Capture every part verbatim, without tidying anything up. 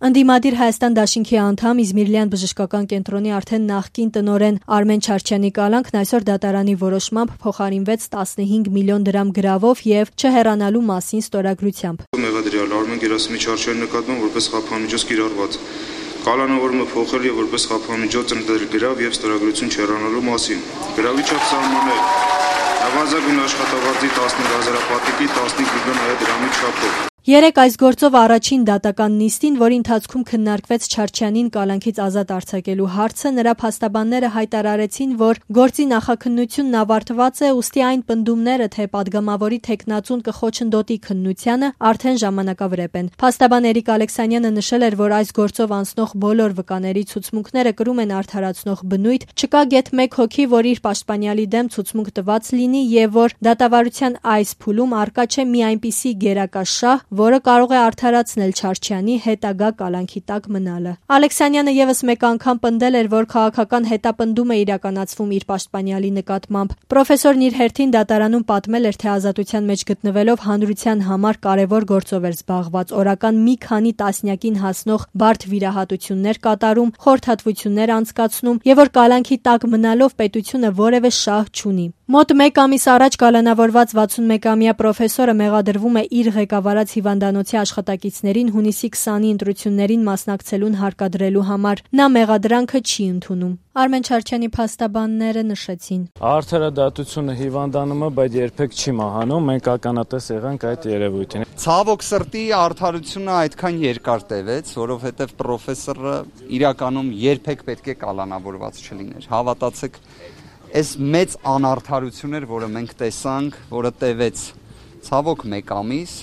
Ընդդիմադիր Հայաստան դաշինքի անդամ Իզմիրլյան բժշկական կենտրոնի արդեն նախկին տնօրեն Արմեն Չարչյանի կալանքն այսօր դատարանի որոշմամբ փոխարինվեց տասնհինգ միլիոն դրամ գրավով եւ չհեռանալու մասին ստորագրությամբ։ Մեղադրյալ Արմեն Գերասիմի Չարչյանի նկատմամբ որպես խափանիջոց կիրառված կալանավորումը փոխել եւ որպես խափանիջոց ընդդել գրավ եւ ստորագրություն չհեռանալու մասին։ Գրավի չափ սահմանել նվազագույն աշխատավարձի տասնհինգ հազարապատիկի տասնհինգ միլիոն հայ դրամի չափով։ Երեկ այս գործով առաջին դատական նիստին, որի ընթացքում քննարկվեց Չարչյանին կալանքից ազատ արձակելու հարցը, նրա փաստաբանները հայտարարեցին, որ գործի նախաքննությունն ավարտված է, ուստի այն պնդումները, թե պատգամավորի թեկնածուն կխոչընդոտի քննությանը, արդեն ժամանակավրեպ են։ Փաստաբան Էրիկ Ալեքսանյանը նշել էր, որ այս գործով անցնող բոլոր վկաների ցուցմունքները կրում են արդարացնող բնույթ, չկա գեթ մեկ հոգի, որ իր պաշտպանյալի դեմ ցուցմունք տված լինի եւ որ դատավարության այս փուլում առկա չէ մի այնպիսի գերակաշահ, որը կարող է արդարացնել Չարչյանի հետագա կալանքի տակ մնալը։ Ալեքսանյանը եւս մեկ անգամ պնդել էր, որ քաղաքական հետապնդում է իրականացվում իր պաշտպանյալի նկատմամբ։ Պրոֆեսորն իր հերթին դատարանում պատմել էր, թե ազատության մեջ գտնվելով հանրության համար կարևոր գործով էր զբաղված, օրական մի քանի տասնյակին հասնող բարդ վիրահատություններ կատարում, խորհրդատվություններ անցկացնում եւ որ կալանքի տակ մնալով պետությունը որևէ շահ չունի։ Մոտ մեկ ամիս առաջ կալանավորված վաթսունմեկամյա պրոֆեսորը մեղադրվում է իր ղեկավարած հիվանդանոցի աշխատակիցներին հունիսի քսանի ընտրություններին մասնակցելուն հարկադրելու համար։ Նա մեղադրանքը չի ընդունում։ Արմեն Չարչյանի փաստաբանները նշեցին. Արդարադատությունը հիվանդանում է, բայց երբեք չի մահանում, մենք ականատես եղանք այդ երևույթին։ Ցավոք սրտի արդարությունը այդքան երկար տևեց, որովհետև պրոֆեսորը իրականում երբեք պետք է կալանավորված չլիներ։ Հավատացեք, այս մեծ անարդարություն էր, որը մենք տեսանք, որը տևեց ցավոք մեկ ամիս,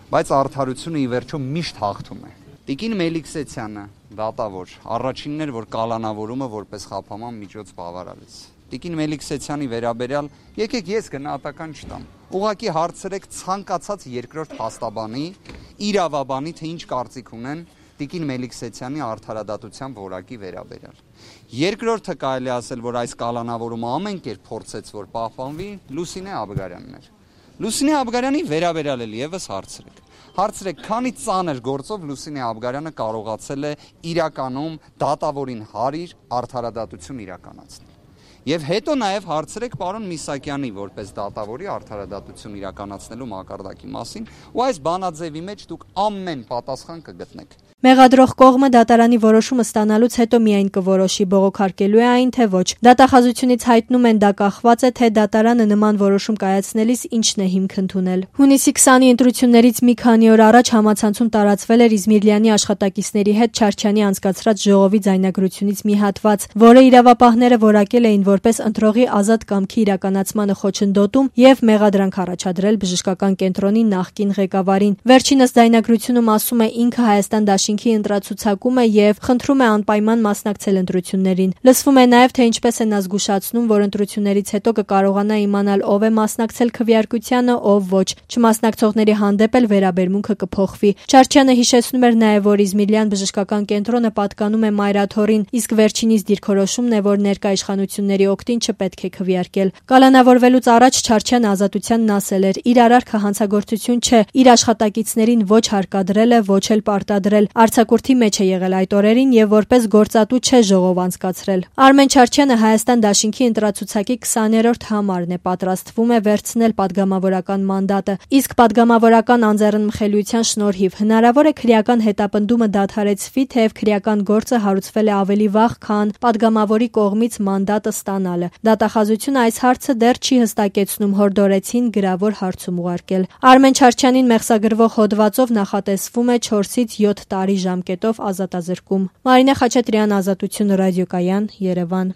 բայց արդարությունը ի վերջո միշտ հաղթում է։ Տիկին Մելիքսեցյանը, դատավոր, առաջինն էր, որ կալանավորումը որպես խափանման միջոց բավարարեց։ Տիկին Մելիքսեցյանի վերաբերյալ եկեք ես գնահատական չտամ։ Ուղղակի հարցրեք ցանկացած երկրորդ փաստաբանի, իրավաբանի, թե ինչ կարծիք ունեն Տիկին Մելիքսեցյանի արդարադատության որակի վերաբերյալ։ Երկրորդը կարելի ասել, որ այս կալանավորումը ամեն կերպ փորձեց, որ պահպանվի, Լուսինե Աբգարյանն էր։ Լուսինե Աբգարյանի վերաբերյալ էլ եւս հարցրեք։ Հարցրեք, քանի ծանր գործով Լուսինե Աբգարյանը կարողացել է իրականում դատավորին հարիր արդարադատություն իրականացնել։ Եվ հետո նաև հարցրեք պարոն Միսակյանի որպես դատավորի արդարադատություն իրականացնելու մակարդակի մասին, ու այս բանաձևի մեջ դուք ամեն պատասխան կգտնեք։ Մեղադրող կողմը դատարանի որոշումը ստանալուց հետո միայն կորոշի բողոքարկելու է այն, թե ոչ։ Դատախազությունից հայտնում են դա կախված է, թե դատարանը նման որոշում կայացնելիս ինչն է հիմք ընդունել։ Հունիսի քսանի ընտրություններից մի քանի օր առաջ համացանցում տարածվել էր Իզմիրլյանի աշխատակիցների հետ Չարչյանի անցկացրած ժողովի ձայնագրությունից մի հատված, որը իրավապահները որակել էին որպես ընտրողի ազատ կամքի իրականացմանը խոչընդոտում եւ մեղադրանք առաջադրել բժշկական կենտրոնի նախկին ղեկավարին։ Վերջինս ձայնագրությունում ասում է ինքը Հայաստան դաշինքի ընտրացուցակում է եւ խնդրում է անպայման մասնակցել ընտրություններին։ Լսվում է նաեւ, թե ինչպես է նա զգուշացնում, որ ընտրություններից հետո կկարողանա իմանալ ով է մասնակցել քվեարկությանը, ով ոչ։ Չմասնակցողների հանդեպ էլ վերաբերմունքը կփոխվի։ Չարչյանը հիշեցնում էր նաեւ, որ Իզմիրլյան բժշկական կենտրոնը պատկանում է Մայրաթորին, իսկ վերջինիս դիրքորոշումն է, որ ներկա իշխանությունների օգտին չպետք է քվեարկել։ Կալանավորվելուց առաջ Չարչյանը ազատությանն ասել էր. իր արարքը հանցագործություն չէ, իր աշխատակիցներին ոչ հարկադրել է, ոչ էլ պարտադրել։ Արձակուրդի մեջ է եղել այդ օրերին եւ որպես գործատու չէ ժողով անցկացրել։ Արմեն Չարչյանը Հայաստան դաշինքի ընտրացուցակի քսաներորդ համարն է, պատրաստվում է վերցնել падգամավորական մանդատը, իսկ падգամավորական անձեռնմխելիության շնորհիվ հնարավոր է քրեական հետապնդումը դադարեցվի, թեև քրեական գործը հարուցվել է ավելի վաղ, քան падգամավորի կողմից մանդատը ստանալը։ Դատախազությունը այս հարցը դեռ չի հստակեցնում, հորդորեցին գրավոր հարցում ուղարկել։ Արմեն Չարչյանին մեղսագրվող հոդվածով նախատեսվում է չորսից յոթ տարի ժամկետով ազատազրկում։ Մարինե Խաչատրյան, Ազատություն ռադիոկայան, Երևան։